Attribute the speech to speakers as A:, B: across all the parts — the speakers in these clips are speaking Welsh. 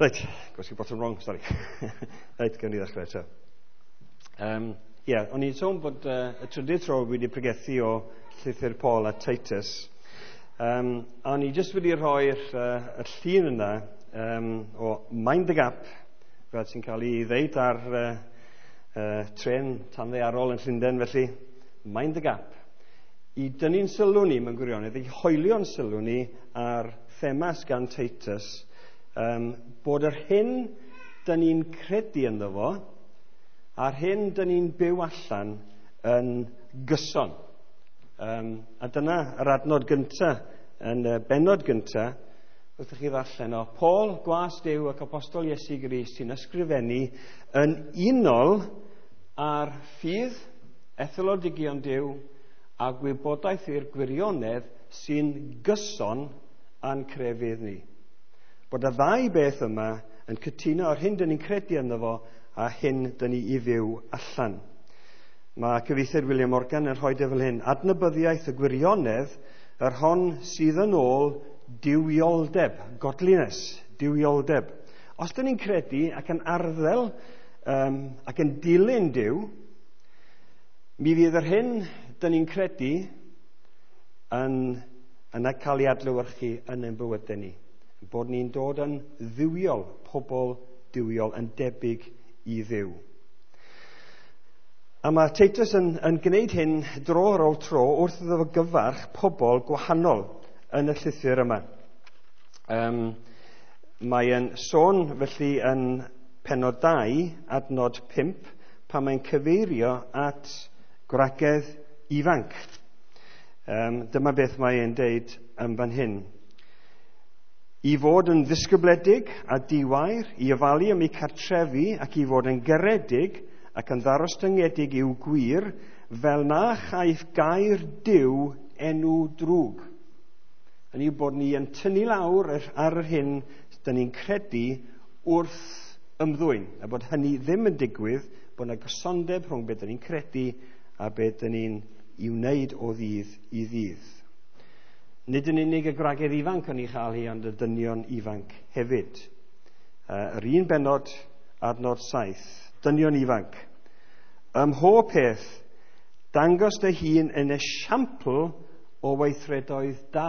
A: Reit, gwasgu botwm wrong, sorry. Reit, gawn ni ddechrau eto. Ie, o'n i'n sôn bod y trydydd tro wedi pregethu o llythyr Paul a Titus. A o'n i jyst wedi rhoi'r y llun yna o Mind the Gap, fel sy'n cael ei ddeud ar tren tanddaearol yn Llundain, felly, Mind the Gap. I dynnu'n sylw ni mewn gwirionedd, i hoelio'n sylw ni ar themas gan Titus, bod yr hyn dyn ni'n credu ynddo fo, a'r hyn dyn ni'n byw allan yn gyson. A dyna yr adnod gyntaf, yn y bennod gyntaf, wrth i chi ddarllen o Paul, gwas Duw ac apostol Iesu Grist sy'n ysgrifennu yn unol â'r ffydd, etholodigion Duw a gwybodaeth i'r gwirionedd sy'n gyson â'n crefydd ni. Bod y ddau beth yma yn cytuno ar hyn dyn ni'n credu ynddo fo a hyn dyn ni i fyw allan. Mae cyfieithiad William Morgan yn rhoi fel hyn: adnabyddiaeth y gwirionedd, yr hon sydd yn ôl duwioldeb, godliness, duwioldeb. Os dyn ni'n credu ac yn arddel ac yn dilyn Duw, mi fydd yr hyn dyn ni'n credu yn cael ei adlewyrchu yn ein bywydau ni. Bod ni'n dod yn dduwiol, pobl duwiol, yn debyg i Dduw. A mae Titus yn gwneud hyn dro ar ôl tro wrth iddo fo gyfarch pobl gwahanol yn y llythyr yma. Mae e'n sôn felly yn pennod 2, adnod 5, pan mae'n cyfeirio at gwragedd ifanc. Dyma beth mae'n deud yn fan hyn. I fod yn ddisgybledig a diwair, i ofalu am eu cartrefi ac i fod yn garedig ac yn ddarostyngedig i'w gwŷr, fel na chaiff gair Duw enw drwg. Yn yw bod ni yn tynnu lawr ar yr hyn dyn ni'n credu wrth ymddwyn, a bod hynny ddim yn digwydd, bod yna gysondeb rhwng beth dyn ni'n credu a beth dyn ni'n i wneud o ddydd i ddydd. Nid yn unig y gwragedd ifanc yn ei chael hi, ond y dynion ifanc hefyd. Yr un bennod, adnod 7, dynion ifanc. Ym mhob peth, dangos dy hun yn esiampl o weithredoedd da.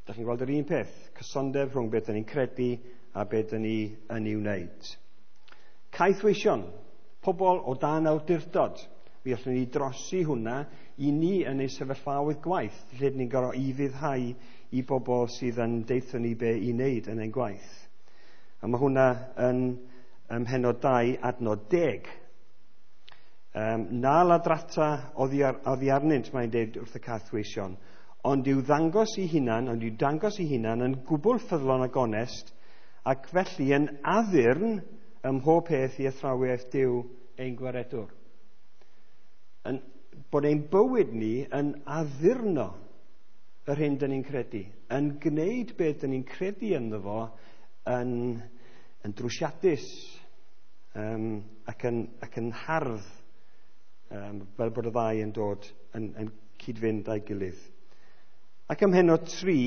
A: Da chi'n gweld yr un peth, cysondeb rhwng beth dyn ni'n credu a beth dyn ni yn ei wneud. Caethweision, pobl o dan awdurdod. Fi allwn ni drosi hwnna i ni yn ein sefyllfaoedd gwaith, lle ni'n gorfod ufuddhau i bobl sydd yn deutho ni be i wneud yn ein gwaith. A mae hwnna yn ym mhennod 2, adnod 10. Na ladrata oddi arnynt, mae'n deud wrth y caethweision, ond i'w ddangos i hunan, ond i'w dangos i hunan yn gwbl ffyddlon ac onest, ac felly yn addurn ym mhob peth i athrawiaeth Duw ein gwaredwr. Bod ein bywyd ni yn addurno yr hyn dyn ni'n credu, yn gwneud beth dyn ni'n credu ynddo fo yn drwsiadus ac yn hardd, fel bod y ddau yn dod yn cyd-fynd â'i gilydd. Ac ym mhennod 3,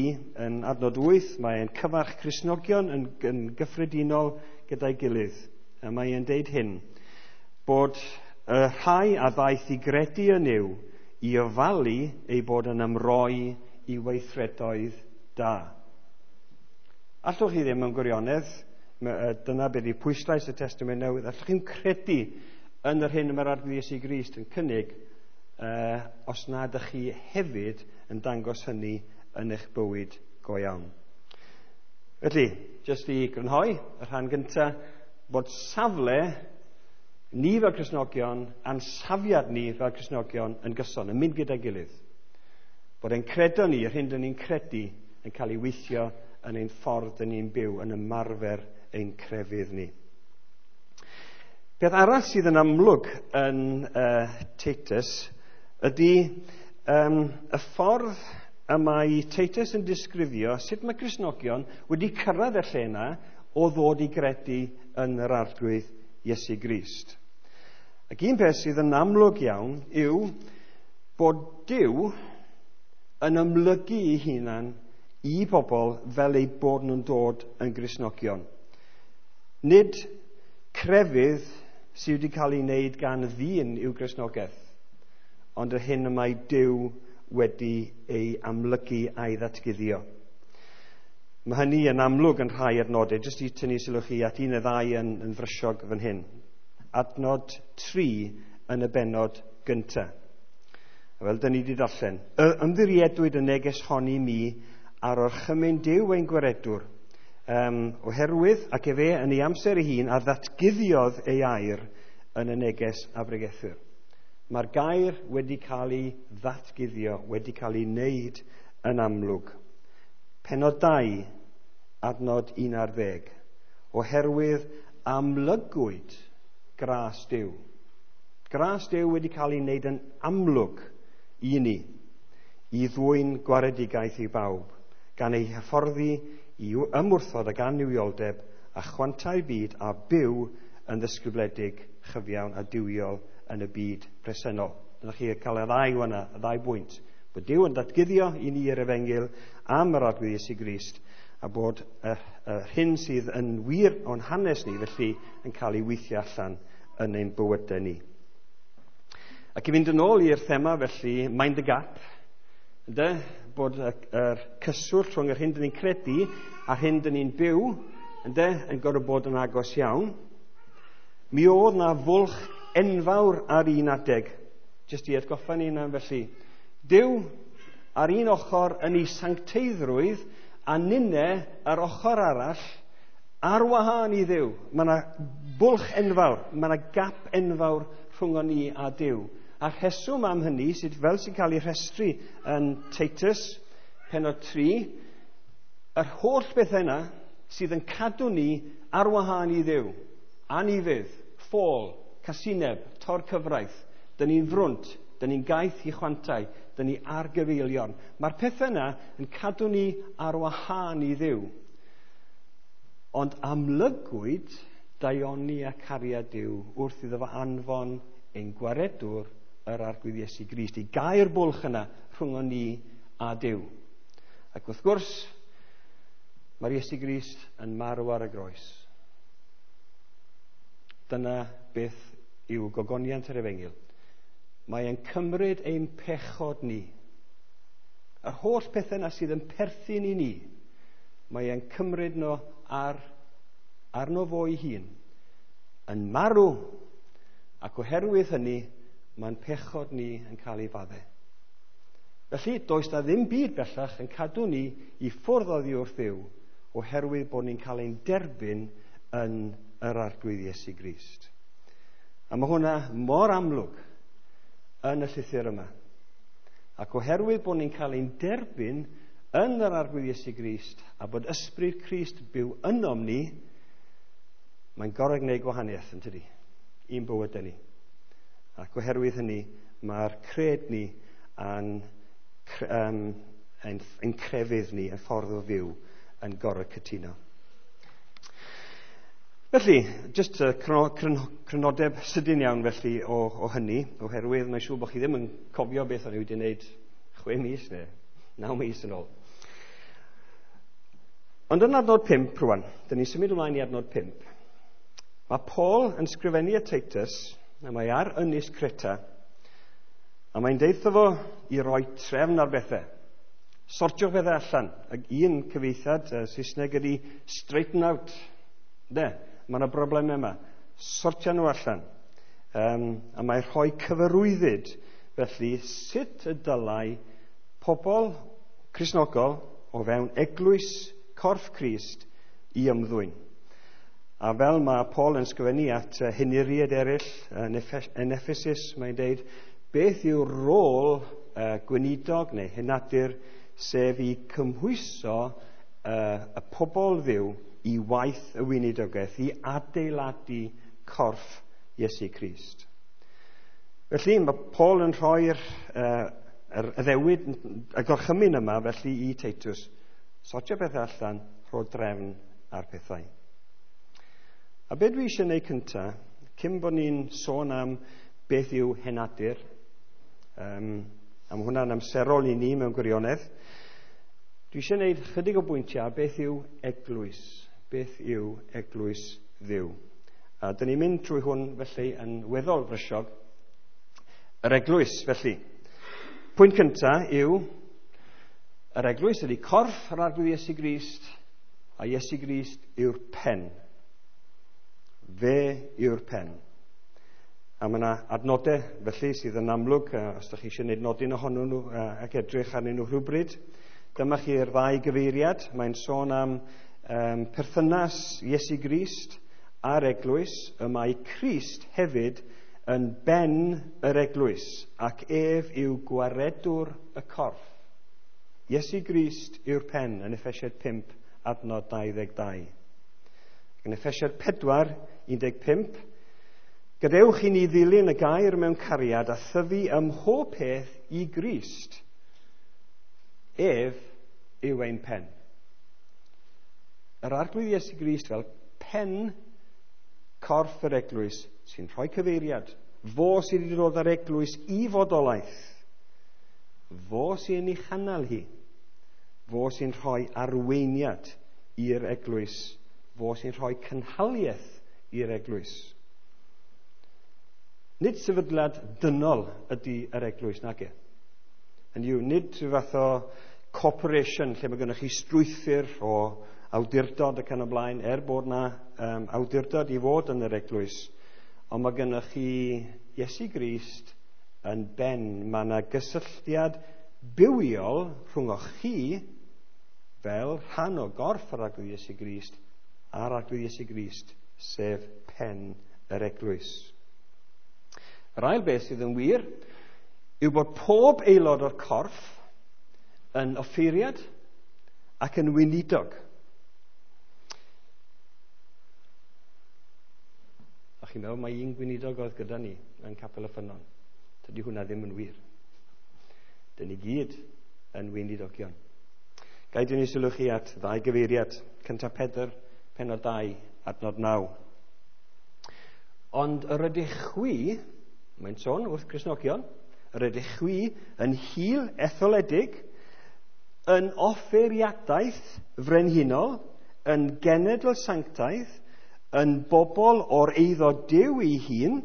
A: yn adnod 8, mae'n cyfarch Cristnogion yn gyffredinol gyda'i gilydd. A mae'n deud hyn, bod y rhai a ddaeth i gredu yn Nuw i ofalu ei bod yn ymroi i weithredoedd da. Allwch chi ddim yn gwirionedd, dyna beth yw pwyslais y Testament Newydd, allwch chi'n credu yn yr hyn mae'r Arglwydd Iesu Grist yn cynnig, os nad ydych chi hefyd yn dangos hynny yn eich bywyd go iawn. Felly, jyst i grynhoi y rhan gyntaf, bod safle ni fel Cristnogion a'n safiad ni fel Cristnogion yn gyson, yn mynd gyda'i gilydd. Bod ein credo ni, yr hyn dyn ni'n credu, yn cael ei weithio yn ein ffordd dyn ni'n byw, yn ymarfer ein crefydd ni. Peth arall sydd yn amlwg yn Titus ydy y ffordd y mae Titus yn disgrifio sut mae Cristnogion wedi cyrraedd y lle yna o ddod i gredu yn yr Arglwydd Iesu Grist. Ac un peth sydd yn amlwg iawn yw bod Duw yn ymlygu ei hunan i bobl fel eu bod nhw'n dod yn Gristnogion. Nid crefydd sydd wedi cael ei wneud gan ddyn yw Gristnogaeth, ond yr hyn y mae Duw wedi ei amlygu a'i ddatguddio. Mae hynny yn amlwg yn rhai adnodau, jyst i tynnu sylw chi at un neu ddau yn frysiog fan hyn. Adnod 3 yn y bennod gyntaf. Fel dyn ni wedi darllen, ymddiriedwyd y neges hon i mi ar orchymyn Duw ein gwaredwr, oherwydd ac efe yn ei amser ei hun a ddatguddiodd ei air yn y neges a bregethir. Mae'r gair wedi cael ei ddatguddio, wedi cael ei wneud yn amlwg. Pennod 2, adnod 11. Oherwydd amlygwyd gras Duw. Gras Duw wedi cael ei wneud yn amlwg i ni, i ddwyn gwaredigaeth i bawb, gan ei hyfforddi i ymwrthod ag annuwioldeb a chwantau'r byd a byw yn ddisgybledig, chyfiawn a duwiol yn y byd presennol. Dyna chi cael y ddau yna, y ddau bwynt. Bod Duw yn datguddio i ni yr efengyl am yr Arglwydd Iesu Grist, a bod yr hyn sydd yn wir o'n hanes ni, felly, yn cael ei weithio allan yn ein bywydau ni. Ac i fynd yn ôl i'r thema, felly, mind the gap, ynde? Bod yr cyswllt rhwng yr hyn dyn ni'n credu a'r hyn dyn ni'n byw, ynde, yn gorfod bod yn agos iawn. Mi oedd na fwlch enfawr ar un adeg, jyst i atgoffa ni yna felly. Duw ar un ochr yn ei sancteiddrwydd a ninne ar ochr arall ar wahân i Dduw. Mae yna bwlch enfawr, mae yna gap enfawr rhwng ni a Duw. A'r rheswm am hynny, sydd fel sy'n cael ei rhestru yn Titus, pennod 3, yr holl bethau yna sydd yn cadw ni ar wahân i Dduw, anufudd, ffôl, casineb, tor cyfraith, dyn ni'n frwnt, dyn ni'n gaeth i chwantau, dyn ni ar gyfeilion. Mae'r pethau yna yn cadw ni ar wahân i Dduw. Ond amlygwyd daioni a cariad Duw wrth iddo fo anfon ein gwaredwr yr Arglwydd Iesu Grist i gau'r bwlch yna rhwng ni a Duw. Ac wrth gwrs, mae'r Iesu Grist yn marw ar y groes. Dyna beth yw gogoniant yr efengyl. Mae e'n cymryd ein pechod ni. Yr holl pethau yna sydd yn perthyn i ni, mae e'n cymryd nhw arno fo ei hun, yn marw, ac oherwydd hynny, mae'n pechod ni yn cael ei faddau. Felly, does na ddim byd bellach yn cadw ni i ffwrdd oddi wrth Dduw, oherwydd bod ni'n cael ein derbyn yn yr Arglwydd Iesu Grist. A mae hwnna mor amlwg yn y llythyr yma. Ac oherwydd bod ni'n cael ein derbyn yn yr Arglwydd Iesu Grist a bod Ysbryd Crist byw ynom ni, mae'n gorfod gwneud gwahaniaeth, yn tydi, i'n bywydau ni. Ac oherwydd hynny, mae'r cred ni a'n ein crefydd ni, ein ffordd o fyw, yn gorfod cytuno. Felly, jyst y crynodeb sydyn iawn felly o hynny, oherwydd mae'n siŵr bod chi ddim yn cofio beth o'n i wedi wneud 6 mis neu 9 mis yn ôl. Ond yn adnod 5 rwan, dyn ni'n symud ymlaen i adnod 5. Mae Paul yn sgrifennu at Titus, a mae ar ynys Creta, a mae'n deutho fo i roi trefn ar bethau. Sortio bethau allan. Ac un cyfieithiad Saesneg ydy straighten out. De, mae yna broblemau yma. Sortio nhw allan. A mae rhoi cyfarwyddyd felly sut y dylai pobl Cristnogol o fewn eglwys corff Crist i ymddwyn. A fel mae Paul yn sgrifennu at henuriaid eraill yn Ephesus, mae'n deud, beth yw rôl gweinidog neu henadur, sef i cymhwyso y pobl Dduw i waith y weinidogaeth, i adeiladu corff Iesu Grist. Felly mae Paul yn rhoi'r yr addewid, y gorchymyn yma felly i Titus. Sortio bethau allan, rho drefn ar pethau. A be dwi eisiau gwneud cyntaf, cyn bod ni'n sôn am beth yw henadur, a mae hwnna'n amserol i ni mewn gwirionedd, Dwi eisiau gwneud chydig o bwyntiau beth yw eglwys. Beth yw eglwys Dduw? A dyn ni'n mynd trwy hwn felly yn weddol frysiog. Yr eglwys felly. Pwynt cyntaf yw yr eglwys ydy corff yr Arglwydd Iesu Grist, a Iesu Grist yw'r pen. Fe yw'r pen. A mae yna adnodau felly sydd yn amlwg, os ydych chi eisiau gwneud nodyn ohonyn nhw ac edrych arnyn nhw rhywbryd. Dyma chi'r ddau gyfeiriad. Mae'n sôn am perthynas Iesu Grist a'r eglwys. Y mae Crist hefyd yn ben yr eglwys, ac ef yw gwaredwr y corff. Iesu Grist yw'r pen yn Effesiaid 5, adnod 22. Yn Effesiaid 4, 15, gadewch i ni ddilyn y gair mewn cariad a thyfu ym mhob peth i Grist. Ef yw ein pen. Yr Arglwydd Iesu Grist fel pen corff yr eglwys sy'n rhoi cyfeiriad. Fo sydd wedi dod â'r eglwys i fodolaeth. Fo sy'n ei chynnal hi. Fo sy'n rhoi arweiniad i'r eglwys. Fo sy'n rhoi cynhaliaeth i'r eglwys. Nid sefydliad dynol ydy yr eglwys, nage. Hynny yw, nid rhyw fath o corporation lle mae gennych chi strwythur o awdurdod ac yn y blaen, er bod na awdurdod i fod yn yr eglwys, ond mae gennych chi Iesu Grist yn ben. Mae yna gysylltiad bywiol rhwng chi fel rhan o gorff yr Arglwydd Iesu Grist a'r Arglwydd Iesu Grist, sef pen yr eglwys. Yr ail beth sydd yn wir yw bod pob aelod o'r corff yn offeiriad ac yn weinidog. A chi'n meddwl mai un gweinidog oedd gyda ni yn Capel y Ffynnon. Dydy hwnna ddim yn wir. Dyn ni gyd yn weinidogion. Gai dynnu sylw chi at ddau gyfeiriad. Cyntaf Pedr, pennod 2, adnod 9. Ond yr ydych chwi, mae'n sôn wrth Gristnogion, yr ydych chwi yn hil etholedig, yn offeiriadaeth frenhinol, yn genedl sanctaidd, yn bobl o'r eiddo Duw ei hun,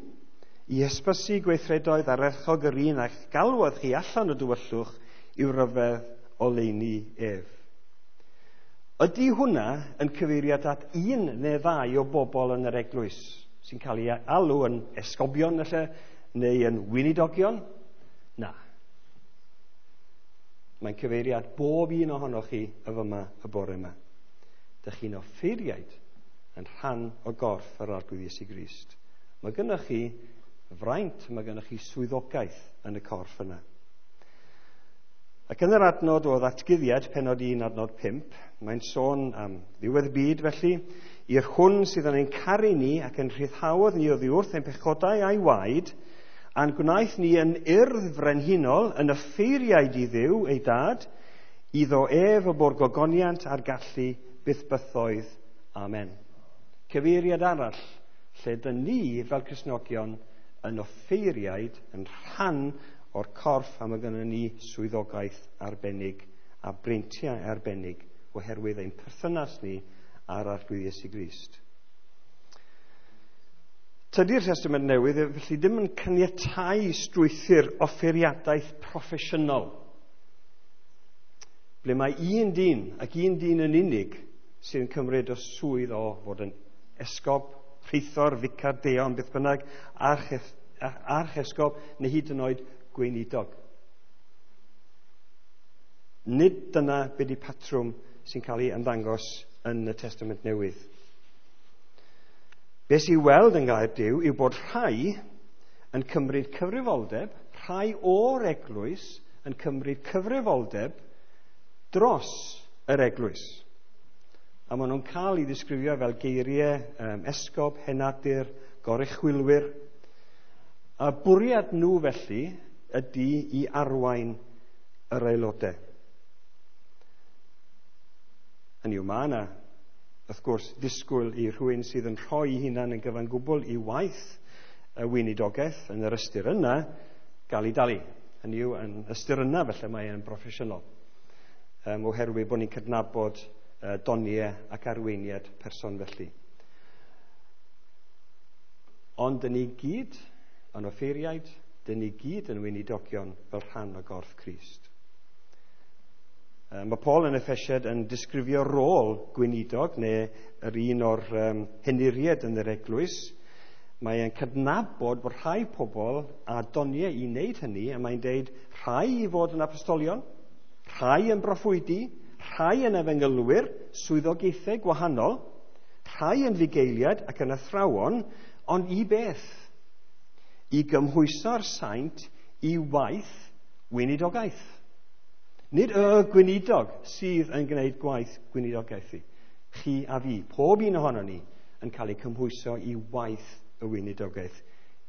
A: i hysbysu gweithredoedd ardderchog yr un a'ch galwodd chi allan o dywyllwch i'w ryfedd oleuni ef. Ydy hwnna yn cyfeiriad at un neu ddau o bobl yn yr eglwys sy'n cael ei alw yn esgobion felly, neu yn weinidogion? Na. Mae'n cyfeiriad bob un ohonoch chi y fyma y bore yma. Dych chi'n offeiriaid yn rhan o gorff yr Arglwydd Iesu Grist. Mae gennych chi fraint, mae gennych chi swyddogaeth yn y corff yna. Ac yn yr adnod o ddatguddiad, pennod 1, adnod 5, mae'n sôn am ddiwedd byd felly, i'r hwn sydd yn ein caru ni ac yn rhyddhaodd ni oddi wrth ein pechodau a'i waed, a'n gwnaeth ni yn urdd frenhinol, yn offeiriaid i Dduw ei dad, iddo ef y bo'r gogoniant a'r gallu byth bythoedd. Amen. Cyfeiriad arall, lle dyn ni fel Cristnogion yn offeiriaid, yn rhan o'r corff, a mae gennym ni swyddogaeth arbennig a breintiau arbennig oherwydd ein perthynas ni â'r Arglwydd Iesu Grist. Tydi'r Testament Newydd felly ddim yn caniatáu strwythur offeiriadaeth proffesiynol, ble mae un dyn ac un dyn yn unig sydd yn cymryd y swydd o fod yn esgob, rheithor, ficar, deon, beth bynnag, archesgob, neu hyd yn oed gweinidog. Nid dyna be di patrwm sy'n cael ei ymddangos yn y Testament Newydd. Be sy'n weld yn gair Duw yw bod rhai yn cymryd cyfrifoldeb, rhai o'r eglwys yn cymryd cyfrifoldeb dros yr eglwys. A maen nhw'n cael ei ddisgrifio fel geiriau esgob, henadur, goruchwylwyr. A bwriad nhw felly ydy i arwain yr aelodau. Hynny yw, mae yna, wrth gwrs, ddisgwyl i rhywun sydd yn rhoi hunan yn gyfan gwbl i waith y weinidogaeth yn yr ystyr yna gael ei dalu. Hynny yw, yn ystyr yna felly mae e'n broffesiynol. oherwydd bod ni'n cydnabod doniau ac arweiniad person felly. Ond dyn ni gyd yn offeiriaid, dyn ni gyd yn weinidogion fel rhan o gorff Crist. Mae Paul yn Effesiad yn disgrifio rôl gweinidog, neu yr un o'r henuriaid yn yr eglwys. Mae e'n cydnabod bod rhai pobl a doniau i wneud hynny, a mae'n deud rhai i fod yn apostolion, rhai yn broffwydi, rhai yn efengylwyr, swyddogaethau gwahanol, rhai yn fugeiliaid ac yn athrawon, ond i beth? I gymhwyso'r saint i waith weinidogaeth. Nid y gweinidog sydd yn gwneud gwaith gweinidogaeth i. Chi a fi, pob un ohono ni, yn cael ei cymhwyso i waith y weinidogaeth,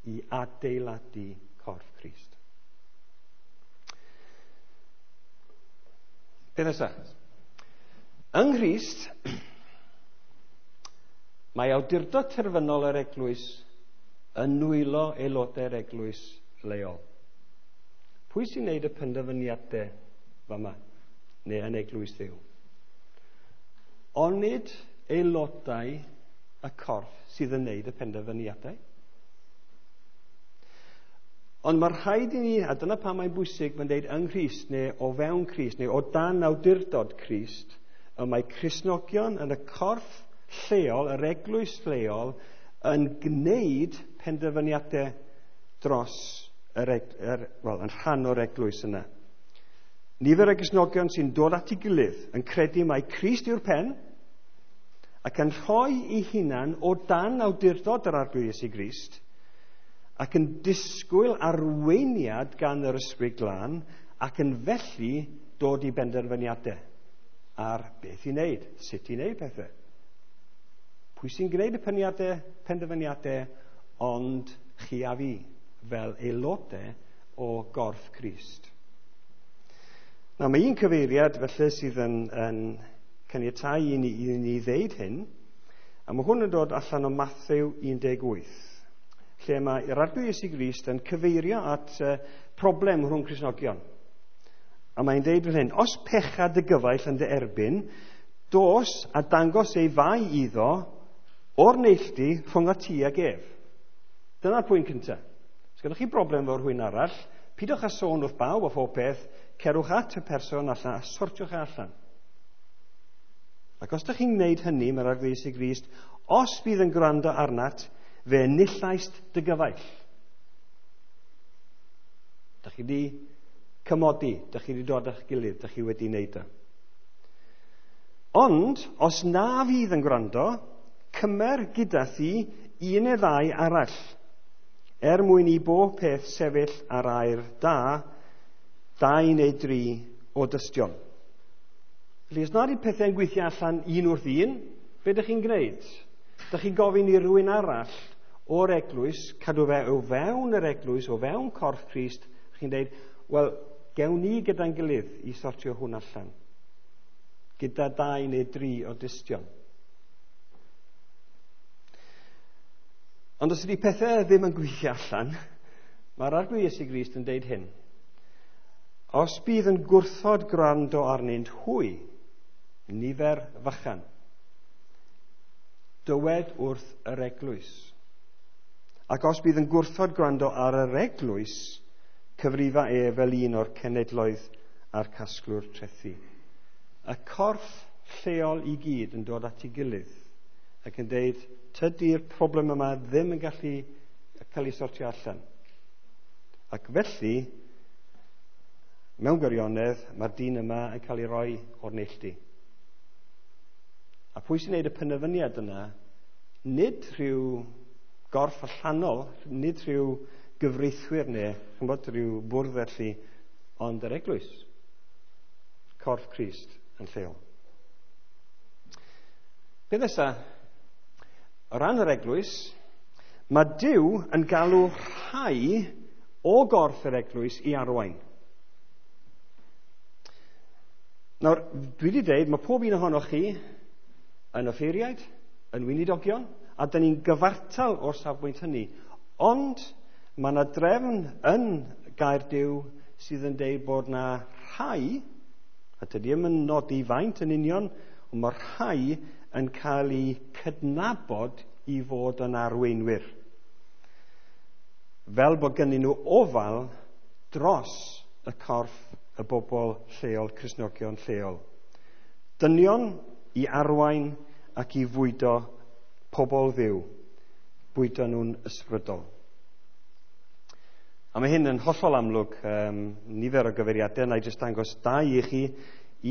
A: i adeiladu corff Crist. Beth nesaf? Yng Nghrist, mae awdurdod terfynol yr eglwys yn nwylo aelodau'r eglwys leol. Pwy sy'n gwneud y penderfyniadau fama, neu yn eglwys Dduw? Onid aelodau y corff sydd yn gwneud y penderfyniadau? Ond mae rhaid i ni, a dyna pam mae'n bwysig, mae'n dweud yng Nghrist, neu o fewn Crist, neu o dan awdurdod Crist, y mae Cristnogion yn y corff lleol, yr eglwys lleol, yn gwneud penderfyniadau dros yn rhan o'r eglwys yna. Nifer o Gristnogion sy'n dod at ei gilydd yn credu mai Crist yw'r pen ac yn rhoi ei hunan o dan awdurdod yr Arglwydd Iesu Grist ac yn disgwyl arweiniad gan yr Ysbryd Glân ac yn felly dod i benderfyniadau ar beth i wneud, sut i wneud pethau. Pwy sy'n gwneud y penderfyniadau ond chi a fi fel aelodau o gorff Crist. Nawr, mae un cyfeiriad felly sydd yn caniatáu i ni ddeud hyn, a mae hwn yn dod allan o Mathew 18, lle mae yr Arglwydd Iesu Grist yn cyfeirio at problem rhwng Cristnogion. A mae'n deud fel hyn: os pecha dy gyfaill yn dy erbyn, dos a dangos ei fai iddo o'r neilltu rhwng y ti ag ef. Dyna'r pwynt cyntaf. Os gennych chi broblem efo rhywun arall, pidwch â sôn wrth bawb a phob peth, cerwch at y person allan a sortiwch e allan. Ac os ydych chi'n gwneud hynny, mae'r Arglwydd Iesu Grist, os bydd yn gwrando arnat, fe enillaist dy gyfaill. Dych chi wedi cymodi, dych chi wedi dod â'ch gilydd, dych chi wedi wneud o. Ond, os na fydd yn gwrando, cymer gyda thi un neu ddau arall, er mwyn i bob peth sefyll ar air da, 2 neu 3 o dystion. Felly, os nad yw pethau'n gweithio allan un wrth un, be ydych chi'n gwneud? Dych chi'n gofyn i rywun arall o'r eglwys, cadw fe o fewn yr eglwys, o fewn corff Crist, chi'n dweud, wel, gewn ni gyda'n gilydd i sortio hwn allan, gyda 2 neu 3 o dystion. Ond os ydy pethau ddim yn gweithio allan, mae'r Arglwydd Iesu Grist yn deud hyn: os bydd yn gwrthod gwrando arnynt hwy, nifer fychan, dywed wrth yr eglwys. Ac os bydd yn gwrthod gwrando ar yr eglwys, cyfrifa e fel un o'r cenedloedd a'r casglwr trethi. Y corff lleol i gyd yn dod at ei gilydd ac yn deud, tydi'r problem yma ddim yn gallu cael ei sortio allan. Ac felly, mewn gwirionedd, mae'r dyn yma yn cael ei roi o'r neilltu. A pwy sy'n gwneud y penderfyniad yna? Nid rhyw gorff allanol, nid rhyw gyfreithwyr neu ch'mbod, rhyw bwrdd felly, ond yr eglwys, corff Crist yn lleol. Beth nesaf? O ran yr eglwys, mae Duw yn galw rhai o gorff yr eglwys i arwain. Nawr, dwi wedi dweud, mae pob un ohonoch chi yn offeiriaid, yn weinidogion, a dyn ni'n gyfartal o'r safbwynt hynny. Ond mae yna drefn yn gair Duw sydd yn deud bod yna rhai A dydy ddim yn nodi faint yn union, ond mae rhai yn cael eu cydnabod i fod yn arweinwyr. Fel bod gennyn nhw ofal dros y corff y bobl lleol, Cristnogion lleol. Dynion i arwain ac i fwydo pobl Dduw, bwydo nhw'n ysbrydol. A mae hyn yn hollol amlwg, nifer o gyfeiriadau, na i jyst dangos dau i chi,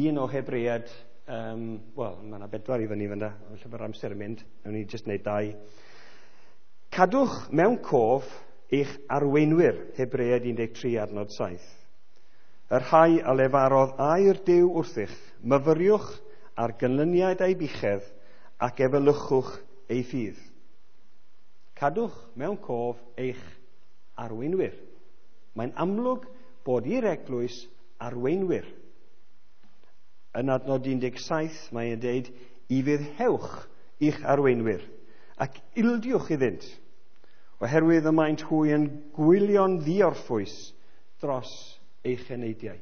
A: un o Hebreaid, wel, mae yna 4 i fyny fyna, felly mae'r amser yn mynd, nawn ni jyst wneud 2. Cadwch mewn cof eich arweinwyr, Hebreaid 13 adnod 7. Y rhai a lefarodd air Duw wrthych, myfyriwch ar gynlyniad eu buchedd ac efelychwch eu ffydd. Cadwch mewn cof eich arweinwyr. Mae'n amlwg bod i'r eglwys arweinwyr. Yn adnod 17 mae'n dweud, i fuddhewch i'ch arweinwyr ac ildiwch iddynt, oherwydd y maent hwy yn gwylio'n ddiorffwys dros eich eneidiau.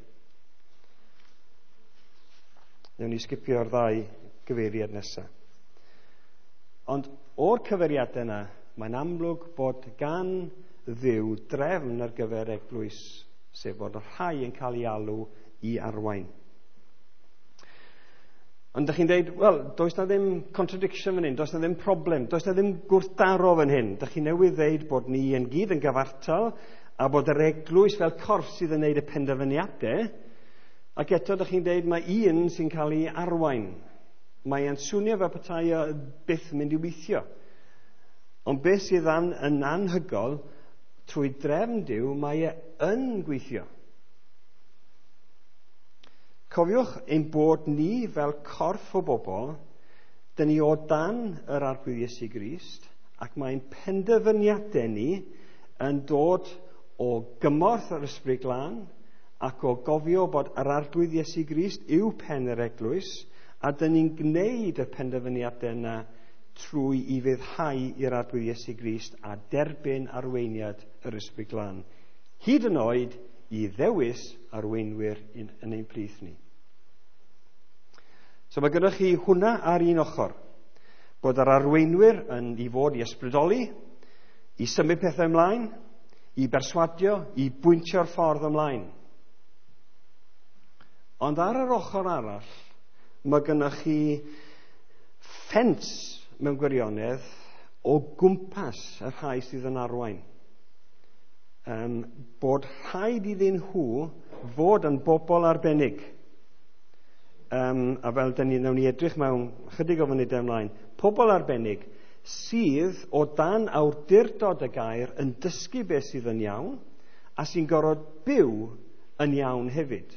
A: Newn ni sgipio'r ddau gyfeiriad nesaf. Ond o'r cyfeiriadau yna, mae'n amlwg bod gan Dduw drefn ar gyfer eglwys, sef bod y rhai yn cael ei alw i arwain. Ond ydych chi'n dweud, wel, does na ddim contradiction fan hyn, does na ddim problem, does na ddim gwrthdaro fan hyn. Dych chi newydd ddeud bod ni yn gyd yn gyfartal a bod yr eglwys fel corff sydd yn neud y penderfyniadau, ac eto ydych chi'n dweud mae un sy'n cael ei arwain. Mae e'n swnio fel petai o byth yn mynd i weithio. Ond beth sydd yn anhygol, trwy drefn Duw, mae e yn gweithio. Cofiwch ein bod ni fel corff o bobl, dyn ni o dan yr Arglwydd Iesu Grist, ac mae'n penderfyniadau ni yn dod o gymorth yr Ysbryd Glân ac o gofio bod yr Arglwydd Iesu Grist yw pen yr eglwys, a dyn ni'n gwneud y penderfyniadau yna trwy i fuddhau i'r Arglwydd Iesu Grist a derbyn arweiniad yr Ysbryd Glân, hyd yn oed i ddewis arweinwyr yn ein plith ni. So mae gennych chi hwnna ar un ochr, bod yr arweinwyr yn i fod i ysbrydoli, i symud pethau ymlaen, i berswadio, i bwyntio'r ffordd ymlaen. Ond ar yr ochr arall, mae gennych chi ffens mewn gwirionedd o gwmpas y rhai sydd yn arwain. Bod rhaid iddyn nhw fod yn bobl arbennig. A fel dyn ni, nawn ni edrych mewn chydig o funudau ymlaen, pobl arbennig sydd o dan awdurdod y gair yn dysgu beth sydd yn iawn a sy'n gorfod byw yn iawn hefyd.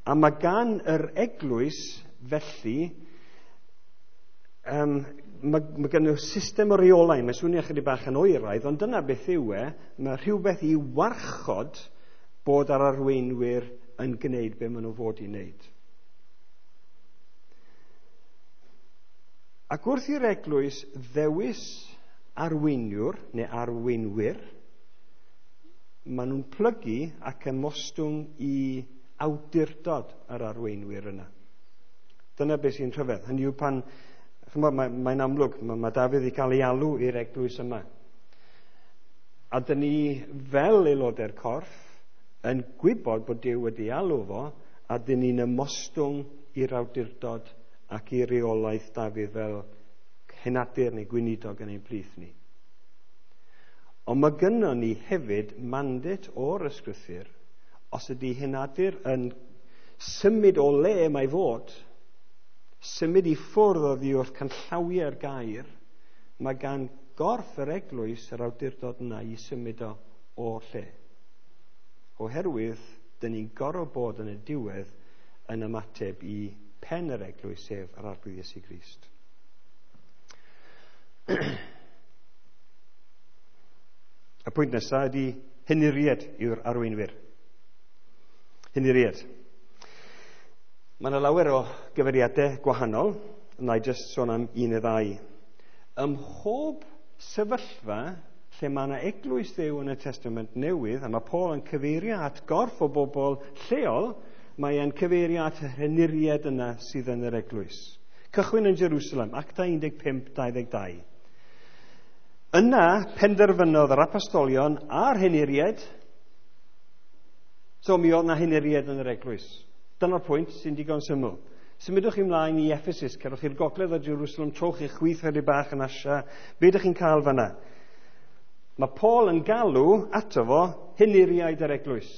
A: A mae gan yr eglwys felly, mae gen nhw system o reolau, mae'n swnio chydig bach yn oeraidd, ond dyna beth yw e, mae rhywbeth i warchod bod yr arweinwyr yn gwneud be maen nhw fod i wneud. Ac wrth i'r eglwys ddewis arweiniwr neu arweinwyr, maen nhw'n plygu ac ymostwng i awdurdod yr arweinwyr yna. Dyna beth sy'n rhyfedd. Hynny yw pan, mae'n amlwg, mae Dafydd i cael ei alw i'r eglwys yma. A dyn ni fel aelodau'r corff yn gwybod bod Duw wedi alw fo, a dyn ni'n ymostwng i'r awdurdod ac i reolaeth Dafydd fel henadur neu gweinidog yn ein plith ni. Ond mae gynnon ni hefyd mandate o'r ysgrythur, os ydy henadur yn symud o le mae fod, symud i ffwrdd oddi wrth canllawiau'r gair, mae gan gorff yr eglwys yr awdurdod yna i symud o o'r lle. Oherwydd, dyn ni'n gorfod bod yn y diwedd yn ymateb i pen yr eglwys, sef yr Arglwydd Iesu Grist. Y pwynt nesaf ydy henuried yw'r arweinwyr. Henuried. Mae yna lawer o gyfeiriadau gwahanol, na i jyst sôn am un neu ddau. Ym mhob sefyllfa lle mae yna eglwys Dduw yn y Testament Newydd, a mae Paul yn cyfeirio at gorff o bobl lleol, Mae e'n cyfeirio at yr henuriaid yna sydd yn yr eglwys. Cychwyn yn Jerusalem, Actau 15:22. Yna penderfynodd yr apostolion a'r henuriaid. So mi oedd na henuriaid yn yr eglwys. Dyna'r pwynt sy'n digon syml. Symudwch ymlaen i Ephesus, cerwch i'r gogledd o Jerusalem, trowch i'ch chwith chydig bach yn Asia. Be ydych chi'n cael fanna? Mae Paul yn galw ato fo henuriaid yr eglwys.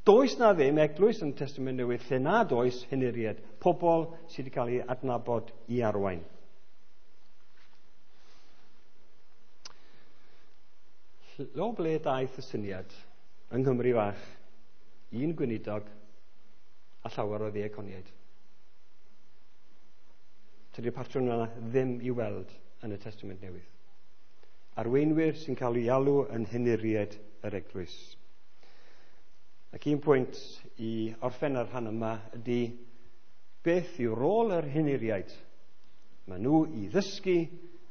A: Does na ddim eglwys yn Testament Newydd lle nad oes henuriaid, pobl sydd wedi cael eu adnabod i arwain. O ble daeth y syniad yng Nghymru fach, un gweinidog a llawer o ddiaconiaid? Tydi'r patrwm yna ddim i weld yn y Testament Newydd. Arweinwyr sy'n cael ei alw yn henuriaid yr eglwys. Ac un pwynt i orffen ar rhan yma ydy beth yw rôl yr henuriaid? Maen nhw i ddysgu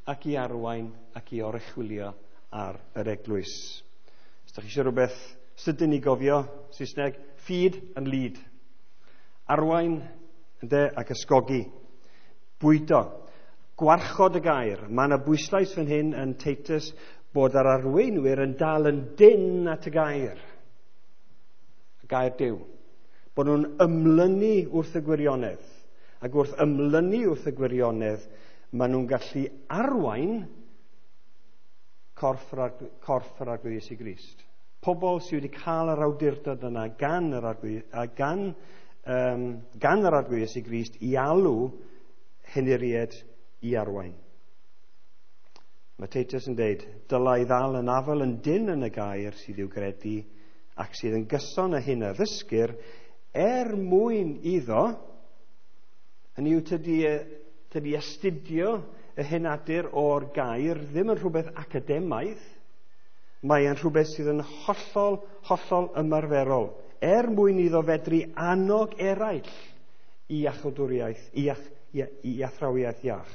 A: ac i arwain ac i oruchwylio ar yr eglwys. Os ydych chi eisiau rhywbeth sydyn i gofio, Saesneg, feed and lead. Arwain ynde, ac ysgogi. Bwydo. Gwarchod y gair. Mae yna bwyslais fan hyn yn Titus bod yr arweinwyr yn dal yn dynn at y gair. Y gair Duw. Bod nhw'n ymlynu wrth y gwirionedd. Ac wrth ymlynu wrth y gwirionedd, maen nhw'n gallu arwain corff yr Arglwydd Iesu Grist. Pobl sydd wedi cael yr awdurdod yna gan yr Arglwydd, gan yr Arglwydd Iesu Grist i alw henuriaid i arwain. Mae Titus yn deud, dylai ddal yn afel yn dynn yn y gair sydd i'w gredu ac sydd yn gyson â hyn a ddysgir er mwyn iddo, hynny yw tydi astudio y henadur o'r gair ddim yn rhywbeth academaidd, mae e'n rhywbeth sydd yn hollol, hollol ymarferol, er mwyn iddo fedru annog eraill i iachawdwriaeth, i athrawiaeth iach,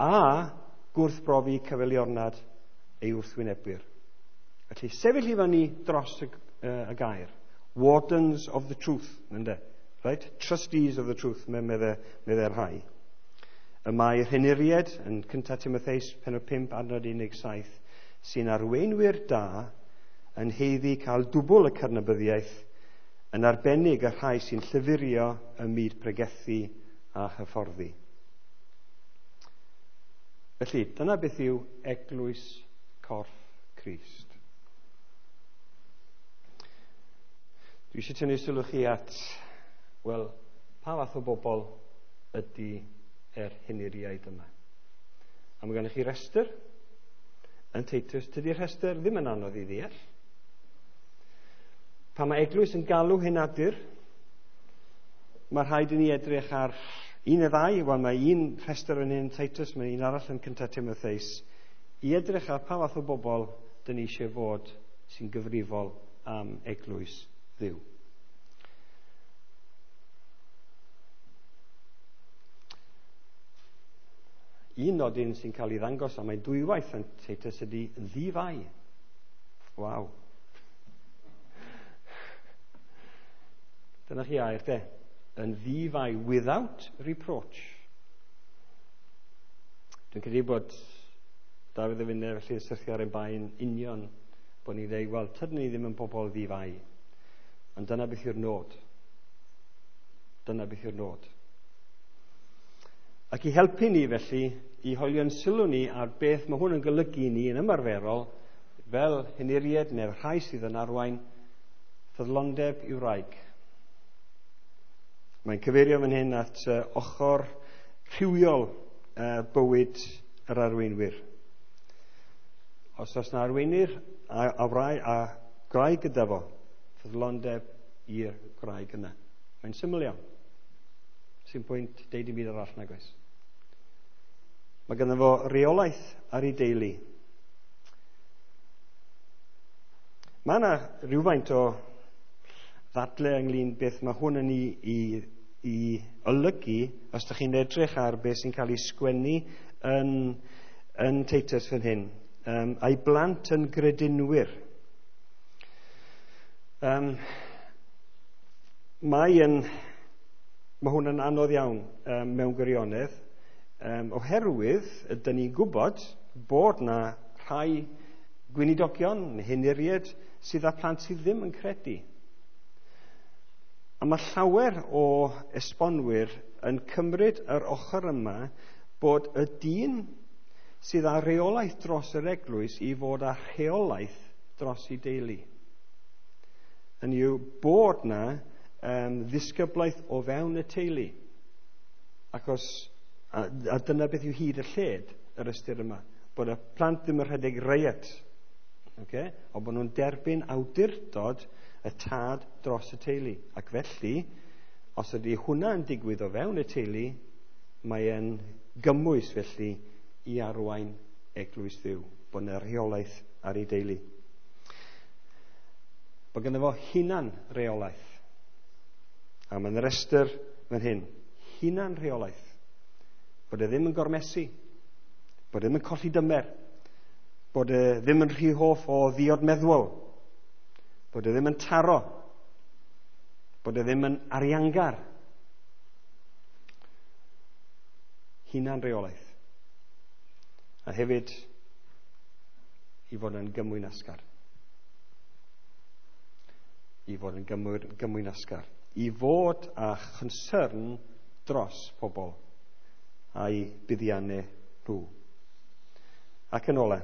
A: a gwrthbrofi cyfeiliornad ei wrthwynebwyr. Felly, sefyll i fyny dros y gair. Wardens of the truth, ynde? Right? Trustees of the truth, medde rhai. Y mae'r henuriaid yn 1 Timotheus pennod 5 adnod 17 sy'n arweinwyr da yn haeddu cael dwbl y cydnabyddiaeth, yn arbennig y rhai sy'n llyfurio ym myd pregethu a hyfforddi. Felly, dyna beth yw eglwys corff Crist. Dwi eisiau tynnu sylw chi at, wel, pa fath o bobl ydy yr henuriaid yma. A mae gennych chi restr yn Titus. Tydi'r rhestr ddim yn anodd i ddeall. Pan mae eglwys yn galw henadur, mae rhaid i ni edrych ar un neu ddau. Wel, mae un rhestr yn hyn Titus, mae un arall yn 1 Timotheus, i edrych ar pa fath o bobl dyn ni eisiau fod sy'n gyfrifol am eglwys Dduw. Un nodyn sy'n cael ei ddangos, a mae dwywaith yn Titus, ydy ddifai. Waw. Dyna chi air, de. Yn ddifai, without reproach. Dwi'n credu bod Dafydd y Finne felly yn syrthio ar ein bain union bod ni'n dweud, wel, tydyn ni ddim yn bobl ddifai. Ond dyna beth yw'r nod. Dyna beth yw'r nod. Ac i helpu ni felly, i hoelio'n sylw ni ar beth mae hwn yn golygu ni yn ymarferol, fel henuriaid neu'r rhai sydd yn arwain, ffyddlondeb i'w wraig. Mae'n cyfeirio fan hyn at ochr rhywiol bywyd yr arweinwyr. Os oes na arweinydd a gwraig gyda fo, ffyddlondeb i'r gwraig yna. Mae'n syml iawn. Sy'n pwynt deud i byd arall nag oes. Mae ganddo fo reolaeth ar ei deulu. Mae yna rhywfaint o ddadle ynglyn beth mae hwn yn ei olygu os ydych chi'n edrych ar beth sy'n cael ei sgwennu yn Titus fan hyn. A'i blant yn gredinwyr. Mae hwn yn anodd iawn mewn gwirionedd, oherwydd ydyn ni'n gwybod bod na rhai gweinidogion, henuriaid, sydd â plant sydd ddim yn credu. A mae llawer o esbonwyr yn cymryd yr ochr yma bod y dyn sydd â rheolaeth dros yr eglwys i fod â rheolaeth dros ei deulu. Hynny yw bod na ddisgyblaeth o fewn y teulu. Achos, a dyna beth yw hyd y lled yr ystyr yma, bod y plant ddim yn rhedeg riot, okay? Ond bod nhw'n derbyn awdurdod y tad dros y teulu. Ac felly, os ydy hwnna'n digwydd o fewn y teulu, mae e'n gymwys felly i arwain eglwys Dduw, bod yna rheolaeth ar ei deulu. Bod gynno fo hunan reolaeth. A mae'n rhestr fan hyn, hunan rheolaeth. Bod e ddim yn gormesu, bod e ddim yn colli dymer, bod e ddim yn rhy hoff o ddiod meddwol, bod e ddim yn taro, bod e ddim yn ariangar. Hunan reolaeth. A hefyd, i fod yn gymwynasgar. I fod yn gymwynasgar. I fod â chonsern dros pobl a'i buddiannau nhw. Ac yn ola,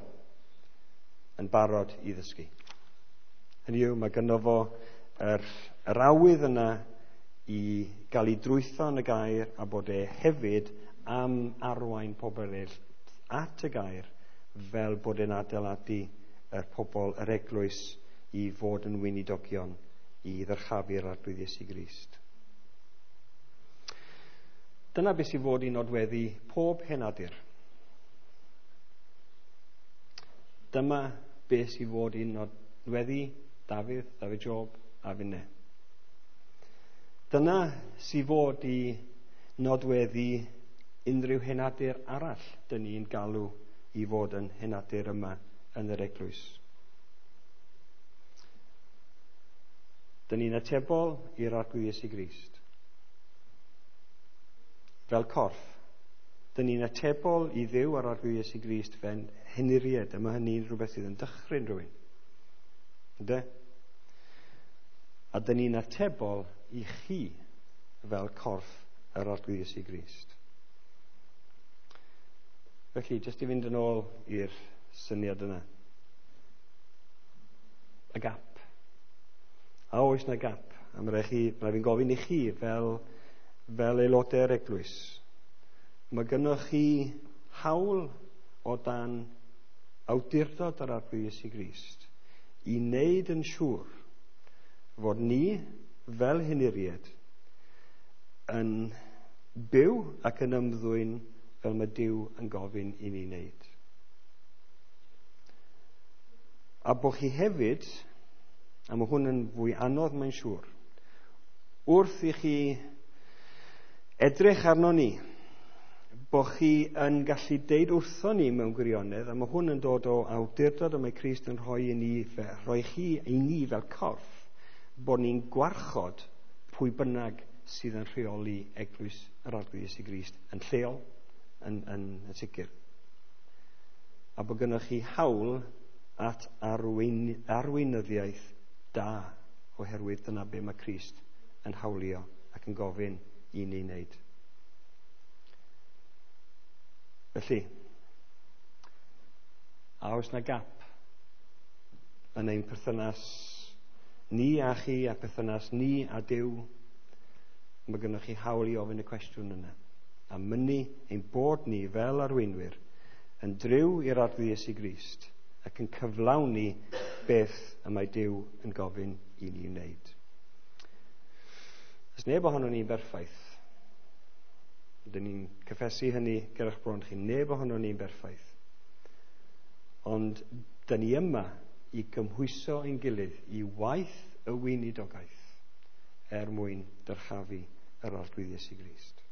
A: yn barod i ddysgu. Hynny yw, mae gynno fo yr awydd yna i gael ei drwytho yn y gair a bod e hefyd am arwain pobl eraill at y gair fel bod e'n adeiladu yr pobl, yr eglwys, i fod yn weinidogion i ddyrchafu'r Arglwydd Iesu Grist. Dyna beth sy'n fod i nodweddu pob henadur. Dyma beth sy'n fod i nodweddu Dafydd, Dafydd Job a finne. Dyna sy'n fod i nodweddu unrhyw henadur arall dyn ni'n galw i fod yn henadur yma yn yr eglwys. Dyn ni'n atebol i'r Arglwydd Iesu Grist. Fel corff, dyn ni'n atebol i Dduw a'r Arglwydd Iesu Grist fel henuriaid, a mae hynny'n rhywbeth sydd yn dychryn rhywun. Ynde? A dyn ni'n atebol i chi fel corff yr Arglwydd Iesu Grist. Felly, jyst i fynd yn ôl i'r syniad yna. Y gap. A oes na gap? A mae rhaid fi'n gofyn i chi fel aelodau'r eglwys. Mae gynnoch chi hawl o dan awdurdod yr Arglwydd Iesu Grist i wneud yn siŵr fod ni fel henuriaid yn byw ac yn ymddwyn fel mae Duw yn gofyn i ni wneud. A bod chi hefyd, a mae hwn yn fwy anodd mae'n siŵr, wrth i chi edrych arno ni, bod chi yn gallu deud wrtho ni mewn gwirionedd, a mae hwn yn dod o awdurdod y mae Crist yn rhoi i ni, rhoi chi i ni fel corff, bod ni'n gwarchod pwy bynnag sydd yn rheoli eglwys yr Arglwydd Iesu Grist yn lleol, yn sicr. A bod gynnoch chi hawl at arweinyddiaeth da, oherwydd dyna be mae Crist yn hawlio ac yn gofyn i ni wneud. Felly, a oes na gap yn ein perthynas ni a chi a perthynas ni a Duw? Mae gynnoch chi hawl i ofyn y cwestiwn yna. A mynnu ein bod ni fel arweinwyr yn driw i'r Arglwydd Iesu Grist ac yn cyflawni beth y mae Duw yn gofyn i ni wneud. Oes neb ohonon ni'n berffaith. Dyn ni'n cyffesu hynny gyrrach bron chi. Neb ohonon ni'n berffaith. Ond dyn ni yma i gymhwyso ein gilydd i waith y weinidogaeth er mwyn dyrchafu yr Arglwydd Iesu Grist.